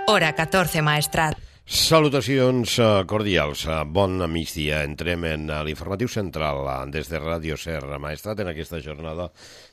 Hora 14, Maestrat. Salutacions cordials, bon migdia. Entrem en l'informatiu central des de Ràdio Ser, Maestrat, en aquesta jornada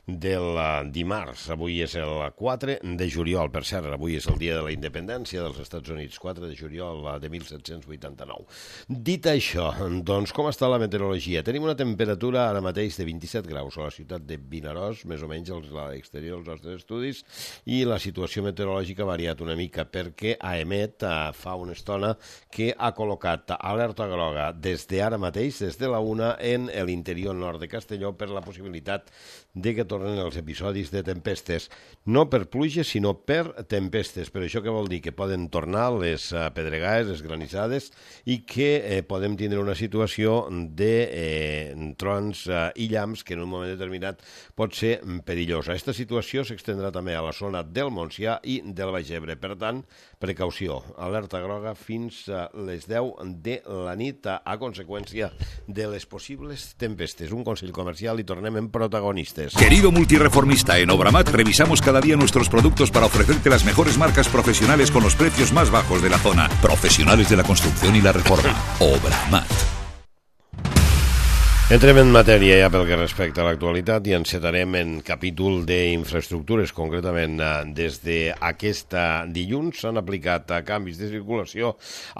del dimarts. Avui és el 4 de juliol, per cert, avui és el dia de la independència dels Estats Units, 4 de juliol de 1789. Dit això, doncs com està la meteorologia? Tenim una temperatura ara mateix de 27 graus a la ciutat de Vinaròs, més o menys a l'exterior dels nostres estudis, i la situació meteorològica ha variat una mica perquè AEMET fa una estona que ha col·locat alerta groga des d'ara mateix, des de la 1, en l'interior nord de Castelló per la possibilitat de que tornen els episodis de tempestes. No per pluges, sinó per tempestes. Per això què vol dir? Que poden tornar les pedregades, les granissades, i que podem tindre una situació de trons i llamps que en un moment determinat pot ser perillosa. Aquesta situació s'extendrà també a la zona del Montsià i del Baix Ebre. Per tant, precaució, alerta groga fins a les 10 de la nit a conseqüència de les possibles tempestes. Un consell comercial i tornem en protagonistes. Querido multireformista, en Obramat revisamos cada día nuestros productos para ofrecerte las mejores marcas profesionales con los precios más bajos de la zona. Profesionales de la construcción y la reforma. Obramat. Entrem en matèria ja pel que respecta a l'actualitat i encetarem en capítol d'infraestructures. Concretament, des d'aquest dilluns s'han aplicat canvis de circulació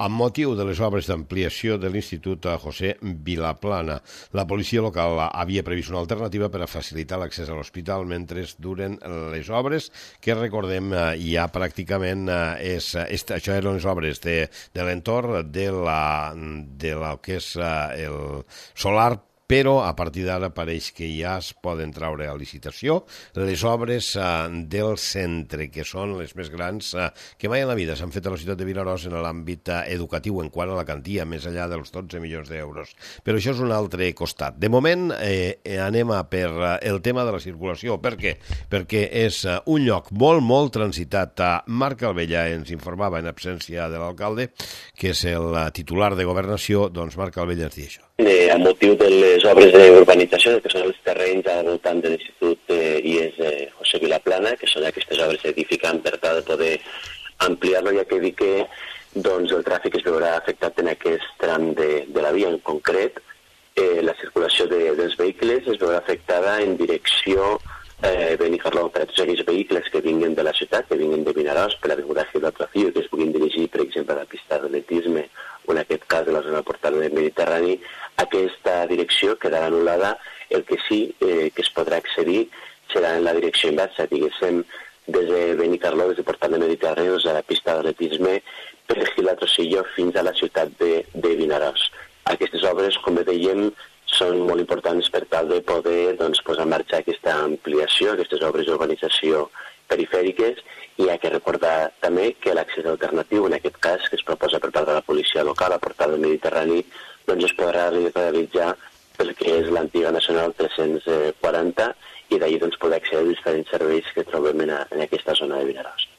amb motiu de les obres d'ampliació de l'Institut José Vilaplana. La policia local havia previst una alternativa per a facilitar l'accés a l'hospital mentre duren les obres, que recordem ja pràcticament això eren les obres de l'entorn de la que és el solar, però a partir d'ara pareix que ja es poden traure a licitació les obres del centre, que són les més grans que mai en la vida s'han fet a la ciutat de Vinaròs en l'àmbit educatiu en quant a la quantia, més enllà dels 12 milions d'euros. Però això és un altre costat. De moment anem per el tema de la circulació. Per què? Perquè és un lloc molt transitat. Marc Albella ens informava en absència de l'alcalde, que és el titular de Governació. Doncs Marc Albella ens diu això. A motiu de les obres d'urbanització, que són els terrenys al voltant de l'Institut IES José Vilaplana, que són aquestes obres edificants per tal de poder ampliar-lo, ja que dic que el tràfic es veurà afectat en aquest tram de la via. En concret, la circulació dels vehicles es veurà afectada en direcció Benicarló, per a tots aquells vehicles que vinguin de la ciutat, que vinguin de Vinaròs, per l'avinguda Gil Trofio, que es puguin dirigir, per exemple, a la pista d'atletisme o en aquest cas de la zona portal del Mediterrani. Aquesta direcció quedarà anul·lada. El que sí que es podrà accedir serà en la direcció inversa, diguéssim, des de Benicarló, des de portal del Mediterrani, a la pista d'atletisme, per Gil Trofio fins a la ciutat de Vinaròs. Aquestes obres, com dèiem, són molt importants per tal de poder posar en marxa aquesta ampliació, aquestes obres d'urbanització perifèriques, i hi ha que recordar també que l'accés alternatiu, en aquest cas, que es proposa per part de la policia local a portal del Mediterrani, es podrà realitzar pel que és l'antiga Nacional 340 i d'ahir poder accedir als diferents serveis que trobem en aquesta zona de Vinaròs.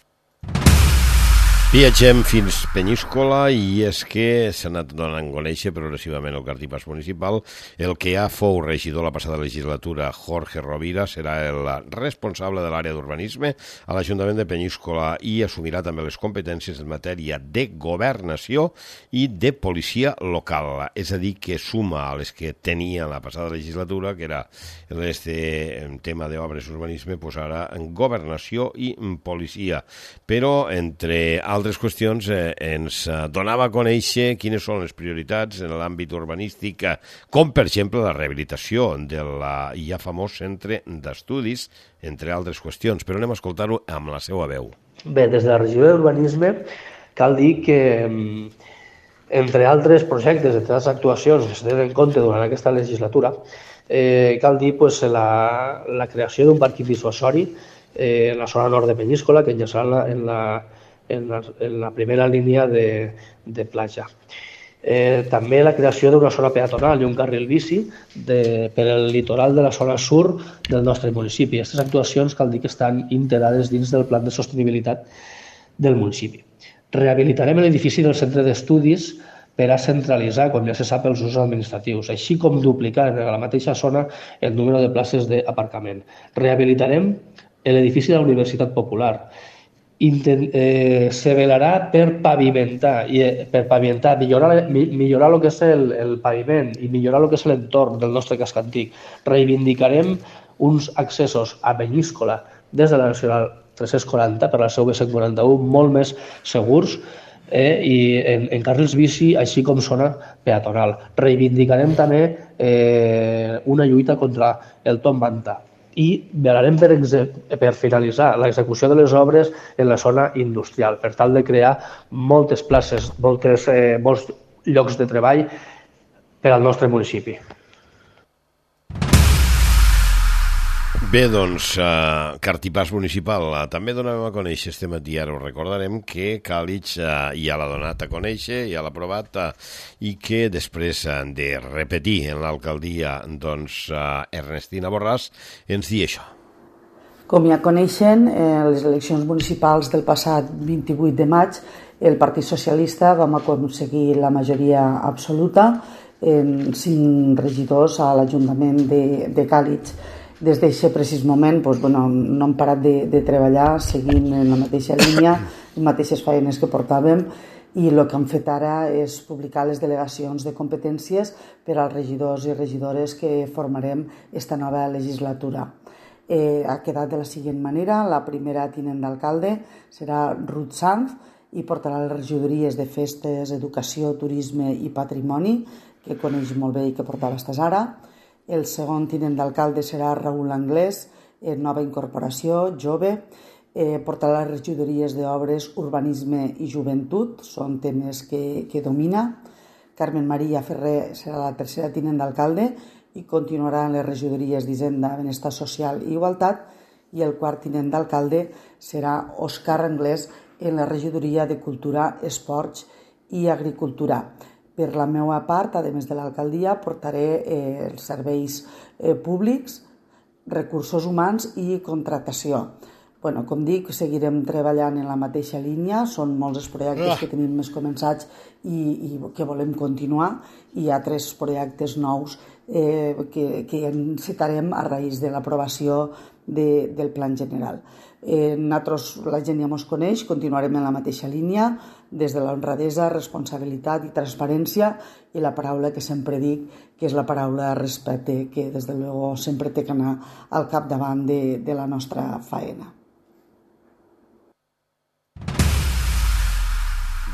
Viatgem fins Penyíscola i és que s'ha anat donant a conèixer progressivament el cartipàs municipal. El que ja fou regidor la passada legislatura, Jorge Rovira, serà el responsable de l'àrea d'urbanisme a l'Ajuntament de Penyíscola i assumirà també les competències en matèria de governació i de policia local. És a dir, que suma a les que tenia la passada legislatura, que era el tema d'obres urbanisme, doncs ara en governació i policia. Però, entre altres qüestions, ens donava a conèixer quines són les prioritats en l'àmbit urbanístic, com per exemple la rehabilitació del ja famós centre d'estudis, entre altres qüestions, però anem a escoltar-ho amb la seva veu. Bé, des de la regió d'urbanisme cal dir que, entre altres projectes, entre altres actuacions que es tenen en compte durant aquesta legislatura, cal dir la creació d'un parc dissuasori en la zona nord de Penyíscola, que enllaçarà en la primera línia de platja. També la creació d'una zona peatonal i un carril bici per al litoral de la zona sur del nostre municipi. Aquestes actuacions cal dir que estan integrades dins del Pla de Sostenibilitat del municipi. Rehabilitarem l'edifici del centre d'estudis per a centralitzar, com ja se sap, els usos administratius, així com duplicar en la mateixa zona el número de places d'aparcament. Rehabilitarem l'edifici de la Universitat Popular se velarà per pavimentar, millorar el que és el paviment i millorar el que és l'entorn del nostre casc antic. Reivindicarem uns accessos a Penyíscola des de la Nacional 340 per la seu B141 molt més segurs i en carrils bici, així com zona peatonal. Reivindicarem també una lluita contra el tomb manta i velarem per finalitzar l'execució de les obres en la zona industrial, per tal de crear moltes places, molts llocs de treball per al nostre municipi. Bé, doncs, Cartipàs Municipal. També donem a conèixer este matí, ara ho recordarem, que Càlig ja l'ha donat a conèixer, ja l'ha aprovat, i que després de repetir en l'alcaldia, doncs, Ernestina Borràs ens diu això. Com ja coneixen, les eleccions municipals del passat 28 de maig, el Partit Socialista vam aconseguir la majoria absoluta en 5 regidors a l'Ajuntament de Càlig. Des d'aquest precís moment no hem parat de treballar seguint en la mateixa línia, les mateixes feines que portàvem, i el que hem fet ara és publicar les delegacions de competències per als regidors i regidores que formarem esta nova legislatura. Ha quedat de la següent manera: la primera tinent d'alcalde serà Ruth Sanz i portarà les regidories de Festes, Educació, Turisme i Patrimoni, que coneix molt bé i que portava fins ara. El segon tinent d'alcalde serà Raül Anglès, nova incorporació, jove, portarà les regidories d'Obres, Urbanisme i Joventut, són temes que domina. Carmen Maria Ferrer serà la tercera tinent d'alcalde i continuarà en les regidories d'Hisenda, Benestar Social i Igualtat, i el quart tinent d'alcalde serà Òscar Anglès en la regidoria de Cultura, Esports i Agricultura. Per la meva part, a més de l'alcaldia, portaré els serveis públics, recursos humans i contractació. Com dic, seguirem treballant en la mateixa línia, són molts els projectes que tenim més començats i que volem continuar, i hi ha 3 projectes nous que encetarem a raïs de l'aprovació del Plan General. Nosaltres, la gent ja ens coneix, continuarem en la mateixa línia, des de l'honradesa, responsabilitat i transparència, i la paraula que sempre dic, que és la paraula respecte, que des de luego sempre té que anar al capdavant de la nostra faena.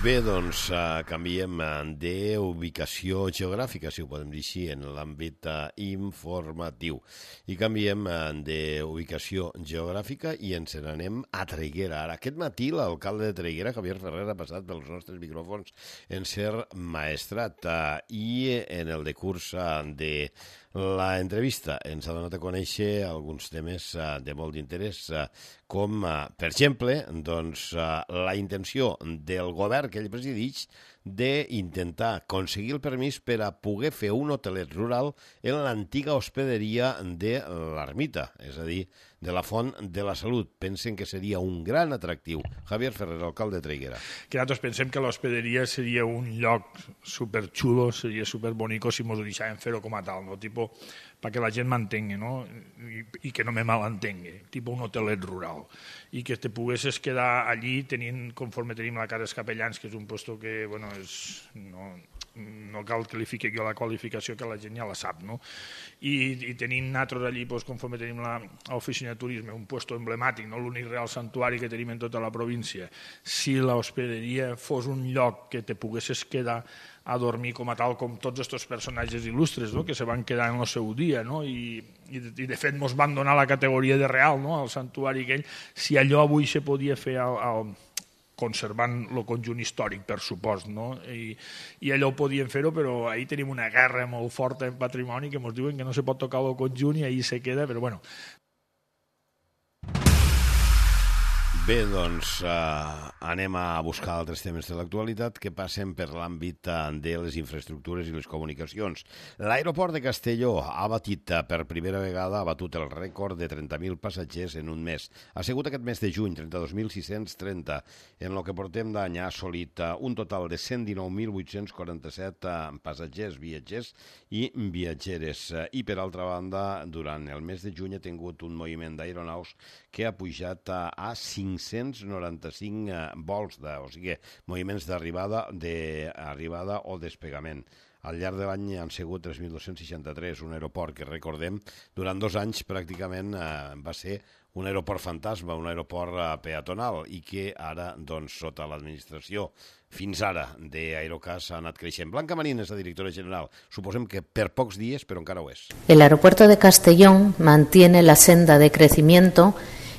Bé, doncs canviem d'ubicació geogràfica, si ho podem dir així, en l'àmbit informatiu. I canviem d'ubicació geogràfica i ens n'anem a Traiguera. Ara, aquest matí l'alcalde de Traiguera, Javier Ferrer, ha passat pels nostres micròfons en ser maestrat i en el decurs de l'entrevista ens ha donat a conèixer alguns temes de molt d'interès, com, per exemple, la intenció del govern que ell presideix d'intentar aconseguir el permís per a poder fer un hotelet rural en l'antiga hospederia de l'Ermita, és a dir, de la Font de la Salut. Pensen que seria un gran atractiu. Javier Ferrer, alcalde de Traiguera. Que nosaltres pensem que l'hospederia seria un lloc superxulo, seria superbonico si ens ho deixàvem fer-ho com a tal, no? Tipo, perquè la gent m'entengui, no? I que no me malentengui, tipo un hotelet rural. I que te poguessis quedar allí conforme tenim la Casa dels Capellans, que és un puesto que, bueno, no cal que li fiqui jo la qualificació, que la gent ja la sap, no? I tenim nosaltres allí, conforme tenim l'oficina de turisme, un puesto emblemàtic, no l'únic real santuari que tenim en tota la província. Si l'hospederia fos un lloc que te poguessis quedar a dormir com a tal, com tots aquests personatges il·lustres, no?, que se van quedar en el seu dia, no? I de fet ens van donar la categoria de real, no?, al santuari aquell. Si allò avui se podia fer conservant el conjunt històric, per supost, no? I allò ho podien fer-ho, però ahir tenim una guerra molt forta en patrimoni que ens diuen que no se pot tocar el conjunt i ahir se queda, però bueno. Bé, doncs anem a buscar altres temes de l'actualitat que passen per l'àmbit de les infraestructures i les comunicacions. L'aeroport de Castelló ha batit per primera vegada, ha batut el rècord de 30.000 passatgers en un mes. Ha sigut aquest mes de juny, 32.630. En el que portem d'any ha assolit un total de 119.847 passatgers, viatgers i viatgeres. I per altra banda, durant el mes de juny ha tingut un moviment d'aeronaus que ha pujat a 595 vols, o sigui, moviments d'arribada o despegament. Al llarg de l'any han sigut 3.263, un aeroport que, recordem, durant 2 anys pràcticament va ser un aeroport fantasma, un aeroport peatonal, i que ara, doncs, sota l'administració, fins ara, d'Aerocas ha anat creixent. Blanca Marín és la directora general. Suposem que per pocs dies, però encara ho és. El aeropuerto de Castellón mantiene la senda de crecimiento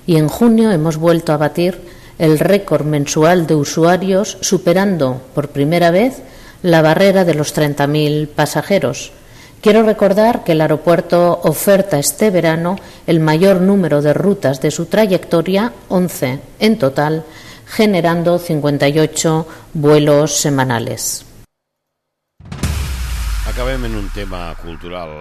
y en junio hemos vuelto a batir el récord mensual de usuarios, superando por primera vez la barrera de los 30.000 pasajeros. Quiero recordar que el aeropuerto oferta este verano el mayor número de rutas de su trayectoria, 11 en total, generando 58 vuelos semanales. Acabem en un tema cultural.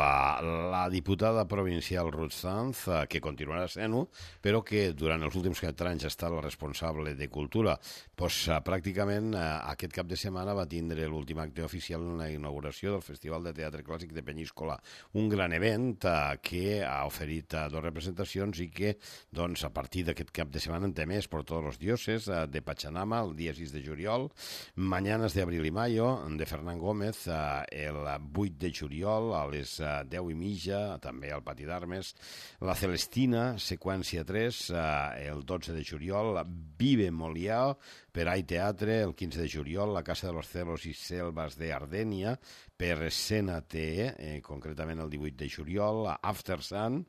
La diputada provincial Ruth Sanz, que continuarà sent-ho, però que durant els últims 4 anys ha estat la responsable de cultura, pràcticament aquest cap de setmana va tindre l'últim acte oficial en la inauguració del Festival de Teatre Clàssic de Penyíscola, un gran event que ha oferit 2 representacions i que, doncs, a partir d'aquest cap de setmana en té més per tots els dioses, de Pachamama, el dia 6 de juliol, Mañanas de Abril y Mayo, de Fernán Gómez, el 8 de juliol a les 10:30, també al Pati d'Armes, la Celestina, seqüència 3, el 12 de juliol, Vive Molière, per AI Teatre, el 15 de juliol, la Casa de los Celos i Selvas de Ardènia, per Escena TE, concretament el 18 de juliol, After Sun,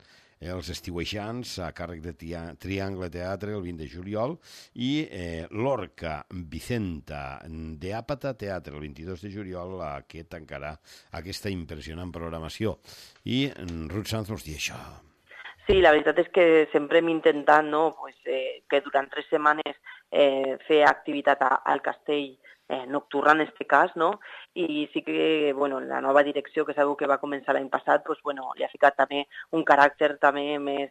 els estiuejants a càrrec de Triangle Teatre el 20 de juliol i l'Orca Vicenta de Àpata Teatre el 22 de juliol, que tancarà aquesta impressionant programació. I Ruth Sanz ens diu això. Sí, la veritat és que sempre hem intentat, no, que durant 3 setmanes fer activitat al castell nocturna en este cas, no? I sí que, bueno, la nova direcció que sabeu que va començar l'any passat, pues, bueno, li ha ficat també un caràcter també més,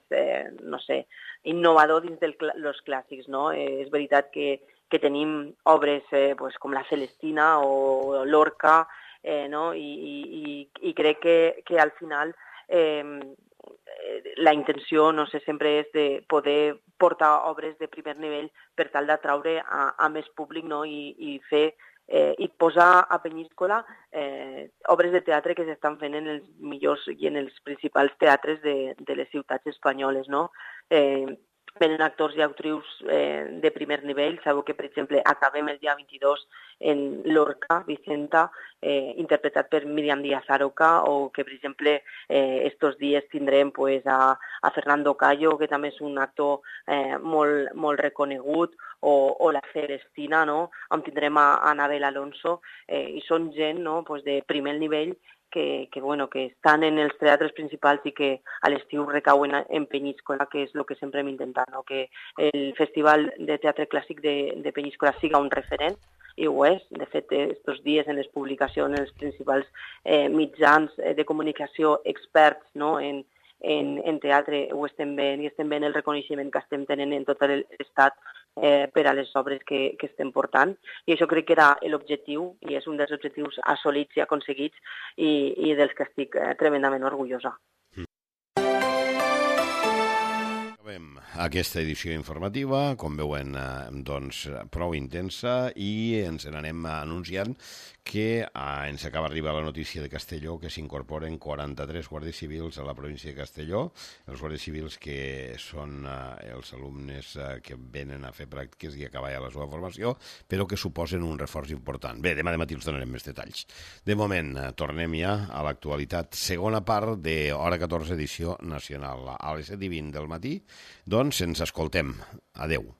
no sé, innovador dins dels clàssics, no? És veritat que tenim obres pues, com la Celestina o l'Orca, no? I crec que al final la intenció, no sé, sempre és de poder portar obres de primer nivell per tal d'atraure a més públic, no? I fer i posar a Penyíscola obres de teatre que s'estan fent en els millors i en els principals teatres de les ciutats espanyoles, no? Venen actors i actrius de primer nivell. Sabeu que, per exemple, acabem el dia 22 en l'Orca Vicenta, interpretat per Míriam Díaz Aroca, o que, per exemple, estos dies tindrem pues, a Fernando Callo, que també és un actor molt reconegut, o la Celestina, no? On tindrem a Anabel Alonso, i són gent, no? Pues de primer nivell que estan en els teatres principals i que a l'estiu recauen en Penyíscola, que és el que sempre hem intentat, no? Que el Festival de Teatre Clàssic de Penyíscola siga un referent, i ho és. De fet, estos dies en les publicacions, en els principals mitjans de comunicació experts, no? en teatre ho estem veient, i estem veient el reconeixement que estem tenint en tot l'estat per a les obres que estem portant, i això crec que era l'objectiu i és un dels objectius assolits i aconseguits i dels que estic tremendament orgullosa. Acabem aquesta edició informativa, com veuen, doncs, prou intensa, i ens n'anem anunciant que ens acaba d'arribar la notícia de Castelló que s'incorporen 43 guàrdies civils a la província de Castelló, els guàrdies civils que són els alumnes que venen a fer pràctiques i acabar ja la seva formació, però que suposen un reforç important. Bé, demà de matí els donarem més detalls. De moment, tornem ja a l'actualitat. Segona part de Hora 14, edició nacional. A les 7:20 del matí, doncs ens escoltem. Adeu.